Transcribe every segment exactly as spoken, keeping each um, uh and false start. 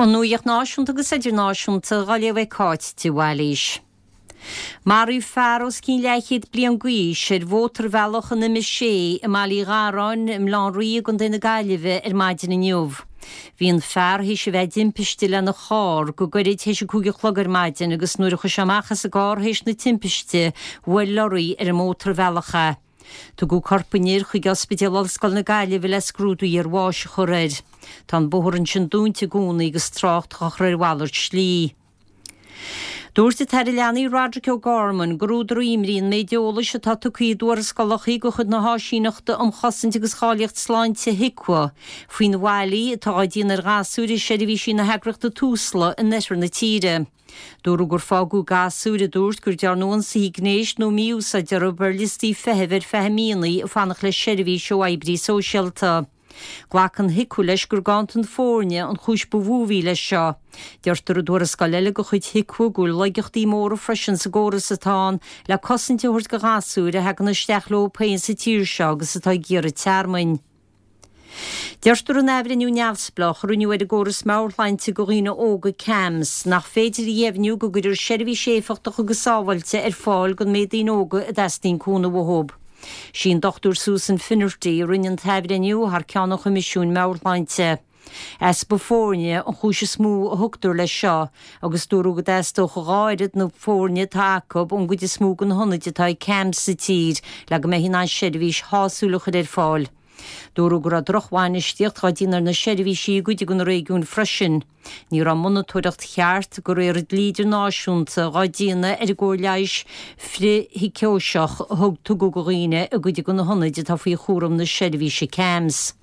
An nuacht náisiúnta agus idirnáisiúnta á léamh ag Cáit de Bhailís. Maraíodh fear os cionn leathchéad bliain d'aois ar mhótarbhealach an M sé i mBaile Uí Gharráin i mBaile Átha an Rí i gContae na Gaillimhe ar maidin inniu. Bhí an fear théis a bheith i dtimpiste lena charr go gairid théis a cúig a chlog ar maidin agus nuair a chuaigh sé amach as an gcarr théis na timpiste bhuail lorry ar an mótarbhealach é. Tugadh corp an fhir chuig Ospidéal Ollscoil na Gaillimhe le scrúdú iarbháis a chur air. Tá an bóthar ansin dúnta i gcónaí agus trácht á chur ar mhalairt slí. Dúirt an tAire Leanaí Roderic O'Gorman gur údar imní an méid eolais atá tugtha i dtuarascálacha de chuid na hÁisíneachta um Chosaint agus Cháilíocht Sláinte HIQA faoin bhfaillí atá á déanamh ar ghasúir i seirbhísí na heagraíochta Tusla in oirthear na tíre. Dúradh gur fágadh gasúir a dúirt gur dearnadh ionsaí gnéis nó mí-úsáid orthu ar liostaí feithimh ar feadh míonna ag fanacht le seirbhís ó oibrí sóisialta. Glacann HIQA leis gur ganntan foirne an chúis ba mhó a bhí leis seo. Deirtear i dtuarascáil eile de chuid HIQA go bhfuil laigeachtaí móra freisin sa gcóras atá ann le cosaint a thabhairt do ghasúir a thagann isteach leo féin sa tír seo agus atá ag iarraidh tearmainn. Deirtear in athbhreithniú neamhspleách a rinneadh ar an gcóras meabhairshláinte do dhaoine óga CAMHS nach féidir a dheimhniú go gcuirtear seirbhís éifeachtach agus sábháilte ar fáil don méid daoine óga a dteastaíonn cúnamh uathu. Sí an Dr Susan Finnerty a rinne an t-athbhreithniú thar ceann an Choimisiúin Meabhairshláinte. Easpa foirne an chúis is mó a thugtar leis seo agus dúradh go dteastódh dhá oiread na foirne atá acu ón gcuid is mó de na hionaid atá ag CAMHS sa tír le go mbeidh in ann seirbhís shásúil a chur ar fáil. Dúradh go raibh drochbhainistíocht á déanamh ar na seirbhísí i gcuid de na réigiúin freisin. Ní raibh monatóireacht cheart de réir dlí idirnáisiúnta á déanamh ar an gcóir leighis frithshícóiseach a thug tugadh do dhaoine i gcuid de na hionaid atá faoi chúram na seirbhíse CAMHS.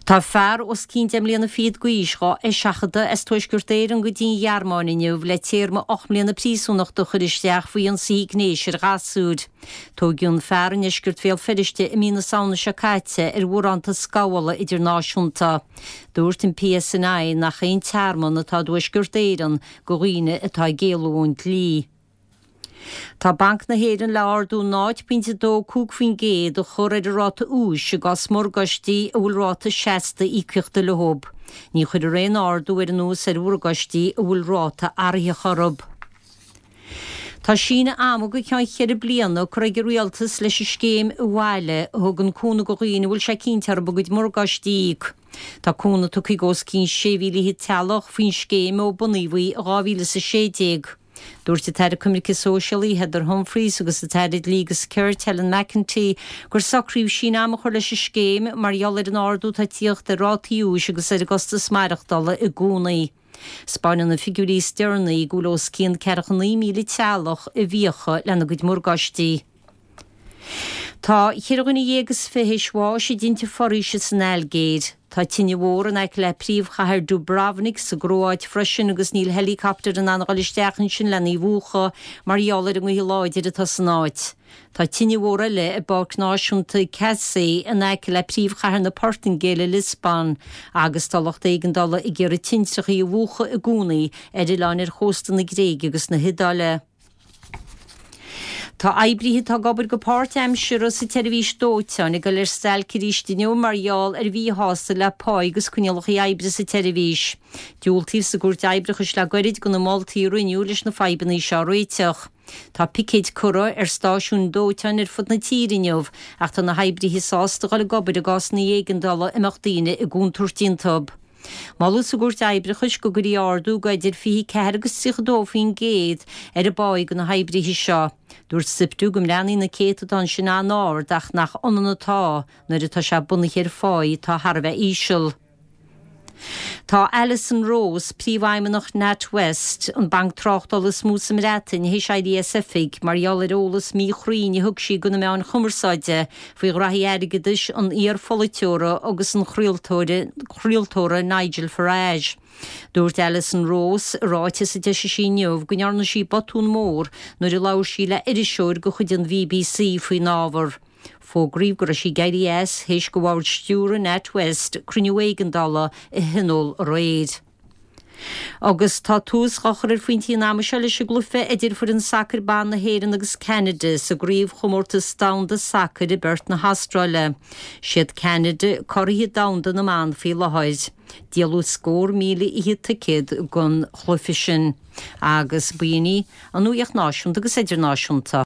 Tá fear os cionn deich mbliana fichead d'aois á eiseachadadh as Tuaisceart Éireann go dtí an Ghearmáin inniu le téarma ocht mbliana príosúnachta a chur isteach faoi ionsaí gnéis ar ghasúr. Tógadh an fear i ndeisceart Bhéal Feirste i mí na Samhna seo caite ar bharántas gabhála idirnáisiúnta. Dúirt an PSNI nach aon tearmann atá i dTuaisceart Éireann do dhaoine atá ag éalú ón dlí. Tá Banc na hÉireann le ardú náid pointe dó cúig faoin gcéad a chur ar an ráta úis i gcás morgáistí a bhfuil ráta seasta íocaíochta leo. Ní chuirfear aon ardú ar an ús ar mhorgáistí a bhfuil ráta athraitheach orthu. Tá síneadh ama go ceann ceithre bliana curtha ag an rialtas leis an scéim Abhaile a thugann cúnamh do dhaoine a bhfuil sé cinnte orthu a gcuid morgáistí a íoc. Tá cúnamh tugtha ag os cionn sé mhíle fichead teaghlach faoin scéim ó bunaíodh í i dhá mhíle is a sé déag. Dúirt an tAire Coimirce Sóisialaí Heather Humphreys agus an tAire Dlí agus Cirt Helen McEntee gur socraíodh síneadh ama a chur leis an scéim mar gheall ar an ardú atá ag tíocht ar rátaí úis agus ar an gcostas maireachtála i gcónaí. Spáineann na figiúirí is deireanaí go bhfuil os cionn ceathracha naoi míle teaghlach i bhfiacha lena gcuid morgáistí. Tá ceithre dhuine dhéag is fiche théis bháis i dtinte foraoise san Ailgéir. Tá tine mhór in aice le príomhchathair Dubrovnik sa gCróit freisin agus níl helicopter in ann a dhul isteach ansin lena mhúchadh mar gheall ar an ngaoth láidir atá san áit. Tá tine mhór eile i bPáirc Náisiúnta Cacém in aice le príomhchathair na Portaingéile Lisbon agus tá lucht éigeandála ag iarraidh tintreachaí a mhúchadh i gcónaí ar oileáin ar chósta na Gréige agus na hIodáile. Tá oibrithe atá ag obair go páirtaimseartha sa tseirbhís dóiteáin ag dul ar stailc arís inniu mar gheall ar mhíshásamh le pá agus coinníollacha oibre sa tseirbhís. Diúltaíodh sa gcúirt oibreachais le gairid do na moltaí a rinneadh leis na fadhbanna seo a réiteach. Tá picéid curtha ar stáisiúin dóiteáin ar fud na tíre inniu ach tá na hoibrithe sásta dul ag obair i gcásanna éigeandála a mbeadh daoine i gcontúirt iontu. Moladh sa gcúirt oibreachais go gcuirfí ardú go idir fiche ceathair agus tríocha dó faoin gcéad ar an bpá do na hoibrithe seo. Dúirt SIPTU go mbreathnaíonn na céatadáin sin an-ard ach nach ionann atá nuair atá sé bunaithe ar phá atá thar a bheith íseal. Tá Alison Rose, príomhfheidhmeannach NatWest, an banc tráchtála is mó sa mBreatain théis éirí as oifig mar gheall ar eolas míchruinn a thug sí do na meáin chumarsáide faoi ghraithí airgeadais an iar-pholaiteora agus an chraoltóra Nigel Farage. Dúirt Alison Rose i ráiteas a d'eisigh sí inniu go ndearna sí botún mór nuair a labhair sí le iriseoir de chuid an BBC faoin ábhar. Fógraíodh go raibh sí ag éirí as théis do bhord stiúrtha NatWest cruinniú éigeandála a thionól aréir. Agus tá tús á chur ar phointí an ama seo leis an gcluiche idir foireann sacair ban na hÉireann agus Ceanada sa gcraobhchomórtas domhanda sacair i bPerth na hAstráile. Siad Ceanada curaidh domhanda na mban faoi láthair. Díoladh scór míle fichead ticéad don chluiche sin. Agus b'in í an nuacht náisiúnta agus idirnáisiúnta.